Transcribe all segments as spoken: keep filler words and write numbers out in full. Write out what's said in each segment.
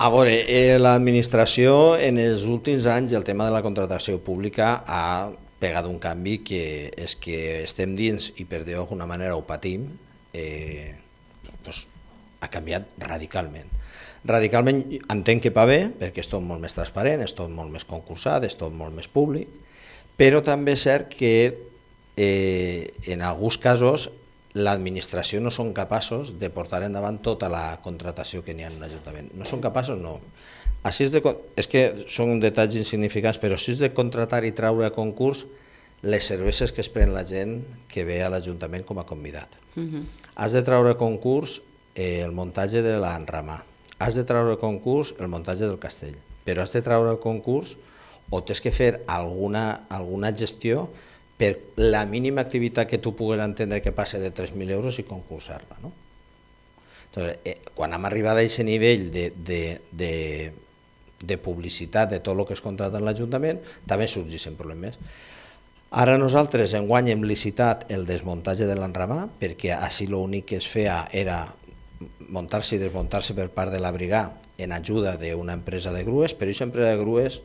A veure, eh, l'administració en els últims anys el tema de la contractació pública ha pegat un canvi que és que estem dins i per dir d'alguna manera ho patim, eh, doncs, ha canviat radicalment. Radicalment entenc que va bé perquè és tot molt més transparent, és tot molt més concursat, és tot molt més públic, però també és cert que eh, en alguns casos l'administració no són capaços de portar endavant tota la contratació que n'hi ha en l'Ajuntament. No són capaços, no. Així és, de, és que són detalls insignificants, però si és de contratar i treure a concurs les cerveses que es pren la gent que ve a l'Ajuntament com a convidat. Uh-huh. Has de treure a concurs eh, el muntatge de l'enramà, has de treure a concurs el muntatge del castell, però has de treure a concurs o tens que fer alguna, alguna gestió per la mínima activitat que tu puguis entendre que passe de tres mil euros i concursar-la. No? Entonces, eh, quan hem arribat a aquest nivell de, de, de, de publicitat de tot el que es contracta en l'Ajuntament, també sorgeixen problemes. Ara nosaltres enguany hem licitat el desmuntatge de l'enramà, perquè així l'únic que es feia era muntar-se i desmuntar-se per part de la brigà en ajuda d'una empresa de grues, però aquesta empresa de grues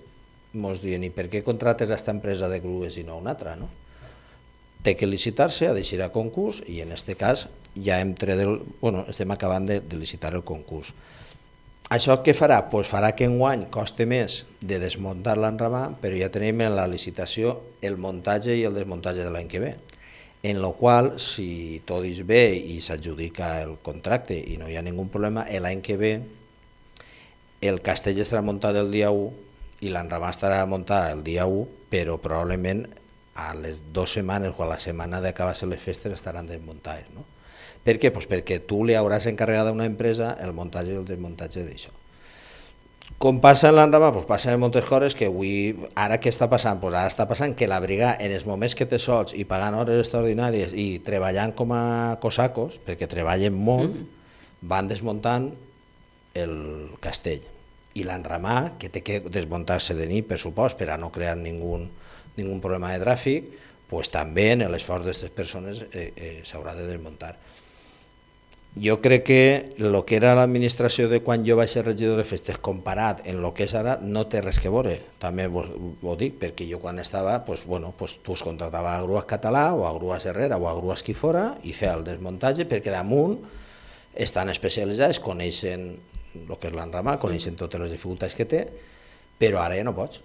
ens diuen, i per què contractes aquesta empresa de grues i no una altra? No? Té que licitar-se, ha d'eixir a concurs i en aquest cas ja hem tret el, bueno, estem acabant de, de licitar el concurs. Això què farà? Pues farà que enguany costi més de desmuntar l'enramà, però ja tenim en la licitació el muntatge i el desmuntatge de l'any que ve, en el qual, si tot és bé i s'adjudica el contracte i no hi ha ningun problema, l'any que ve el castell estarà muntat el dia u i l'enramà estarà muntat el dia u, però probablement a les dues setmanes o a la setmana d'acabar-se les festes estaran desmuntades. No? Per què? Pues perquè tu li hauràs encarregat a una empresa el muntatge i el desmuntatge d'això. Com passa en l'enramà? Pues passen moltes coses que avui, ara què està passant? Pues ara està passant que la brigà, en els moments que té sols i pagant hores extraordinàries i treballant com a cosacos, perquè treballen molt, van desmuntant el castell. I l'enramà, que té que desmuntar-se de nit, per supost, per a no crear ningú, ningú problema de tràfic, pues també en l'esforç d'aquestes persones eh, eh, s'haurà de desmuntar. Jo crec que el que era l'administració de quan jo vaig ser regidor de festes comparat en el que és ara no té res que veure, també ho dic, perquè jo quan estava, pues, bueno, pues, tu es contractava a Grues Català o a Grues Herrera o a Grues qui fora i feia el desmuntatge perquè damunt estan especialitzats, coneixen el que és l'enramà, coneixen totes les dificultats que té, però ara ja no pots.